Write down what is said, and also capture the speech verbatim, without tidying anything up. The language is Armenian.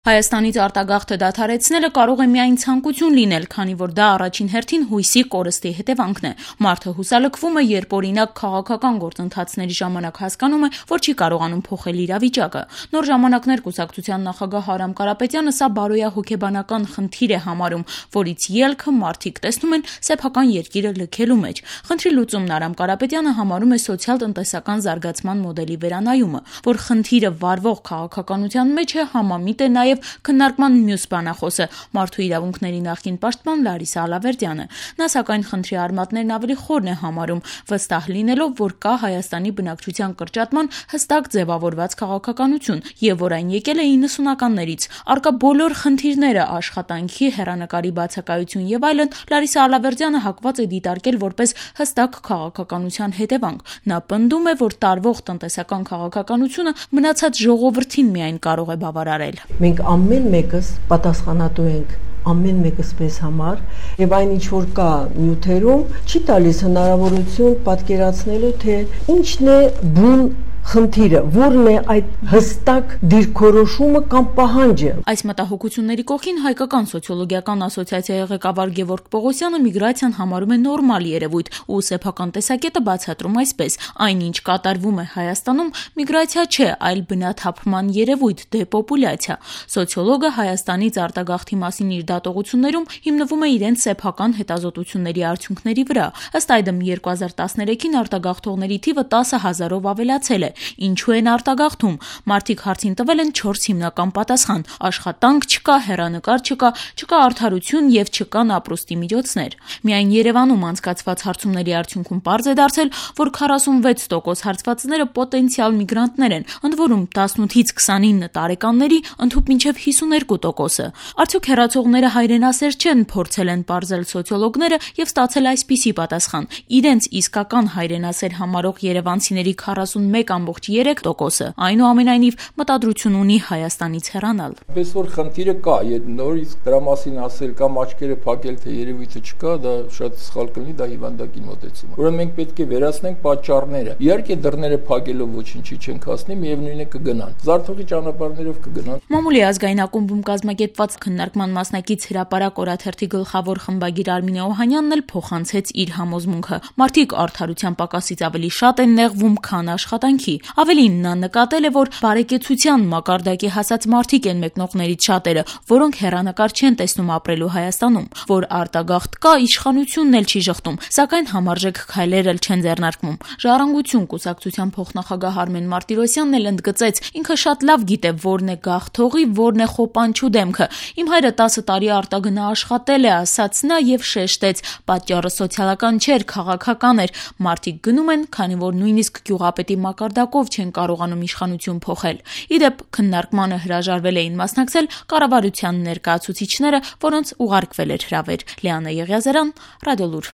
Հայաստանից արտագաղթը դադարեցնելը կարող է միայն ցանկություն լինել, քանի որ դա առաջին հերթին հույսի կորստի հետևանքն է։ Մարդը հուսալքվում է, երբ օրինակ քաղաքական գործընթացների ժամանակ հասկանում է, որ չի կարողանում փոխել իրավիճակը։ Նոր ժամանակներ կուսակցության նախագահ Արամ Կարապետյանը սա բարոյահոգեբանական խնդիր է համարում, որից ելքը մարդիկ տեսնում են սեփական երկիրը լքելու մեջ։ Խնդրի լուծումն Արամ Կարապետյանը համարում է սոցիալ-տնտեսական զարգացման մոդելի վերանայումը, որ խնդիրը վարվող քաղաքականության մեջ է, համամիտ է նաև քննարկման մյուս բանախոսը մարդու իրավունքների նախկին պաշտպան Լարիսա Ալավերդյանը։ Նա սակայն խնդրի արմատներն ավելի խորն է համարում, վստահ լինելով, որ կա Հայաստանի բնակչության կրճատման հստակ ձևավորված քաղաքականություն եւ որ այն եկել է իննսունականներից։ Առկա բոլոր խնդիրները, աշխատանքի, հեռանկարի բացակայություն եւ այլն Լարիսա Ալավերդյանը հակված է դիտարկել որպես հստակ քաղաքականության հետևանք։ Նա պնդում է, որ տարվող տնտեսական քաղաքականությունը մնացած ժողովրդին միայն կարող է բավարարել։ Մենք ամեն մեկս պատասխանատու ենք ամեն մեկս մեզ համար եւ այն ինչ որ կա նյութերում չի տալիս հնարավորություն պատկերացնելու թե ինչն է բուն խնդիրը, որն է այդ հստակ դիրքորոշումը կամ պահանջը։ Այս մտահոգությունների կողքին հայկական սոցիոլոգիական ասոցիացիայի ղեկավար Գևորգ Պողոսյանը միգրացիան համարում է նորմալ երևույթ ու սեփական տեսակետը բացատրում այսպես. այնինչ կատարվում է Հայաստանում միգրացիա չէ, այլ բնաթափման երևույթ, դեպոպուլյացիա։ Սոցիոլոգը Հայաստանից արտագաղթի մասին իր դատողություններում հիմնվում է իրենց սեփական հետազոտությունների արդյունքների վրա։ Ըստ այդմ երկու հազար տասներեքին արտագաղթողների թիվը տասը հազարով ավելացել է։ Ինչու են արտագաղթում։ Մարդիկ հարցին տվել են չորս հիմնական պատասխան. աշխատանք չկա, հեռանկար չկա, չկա արդարություն եւ չկան ապրուստի միջոցներ։ Միայն Երևանում անցկացված հարցումների արդյունքում պարզ է դարձել, որ քառասունվեց տոկոս հարցվածները պոտենցիալ միգրանտներ են, ընդ որում տասնութից քսանինը տարեկանների, ընդհուպ մինչև հիսուներկու տոկոսը։ Արդյոք հեռացողները հայրենասեր չեն, փորձել են պարզել սոցիոլոգները եւ ստացել այսպիսի պատասխան. իրենց իսկական հայրենասեր համարող երևանցիների քառասունմեկ ամբողջ երեք տոկոսը այնուամենայնիվ մտադրություն ունի Հայաստանից հեռանալ։ Պես որ խնդիրը կա, երբ նորից դրա մասին ասել կամ աչքերը փակել, թե երևույթը չկա, դա շատ սխալ կլինի, դա հիվանդակին մոտեցում է։ Ուրեմն մենք պետք է վերացնենք պատճառները։ Իհարկե դռները փակելով ոչինչի չենք հասնի, միևնույն է կգնան։ Զարթողի ճանապարհներով կգնան։ Մամուլի ազգային ակումբում կազմակերպված քննարկման մասնակից հրապարակ օրաթերթի գլխավոր խմբագիր Արմինե Օհանյանն էլ փոխանցեց իր համոզմունքը։ Մարդիկ արդարության պակասից ավելի շատ են նեղվում, քան աշխատանքի։ Ավելին նա նկատել է, որ բարեկեցության մակարդակի հասած մարդիկ են մեկնողներից շատերը, որոնք հեռանկար չեն տեսնում ապրելու Հայաստանում, որ արտագաղթ կա, իշխանությունն էլ չի շղթում, սակայն համարժեք քայլեր էլ չեն ձեռնարկվում։ Ժառանգություն կուսակցության փոխնախագահ Արմեն Մարտիրոսյանն էլ ընդգծեց, ինքը շատ լավ գիտե որն է գաղթողի, որն է խոպանչու դեմքը։ Իմ հայրը տասը տարի արտագնա աշխատել է, ասաց նա եւ շեշտեց, պատճառը սոցիալական չէր, քաղաքական էր։ Մարդիկ գնում են, քանի որ նույնիսկ գյուղապետի մակարդակով չեն կարողանում իշխանություն փոխել։ Իդեպ քննարկմանը հրաժարվել էին մասնակցել կառավարության ներկայացուցիչները, որոնց ուղարկվել էր հրավեր։ Լիանա Եղիազարյան, Ռադիոլուր։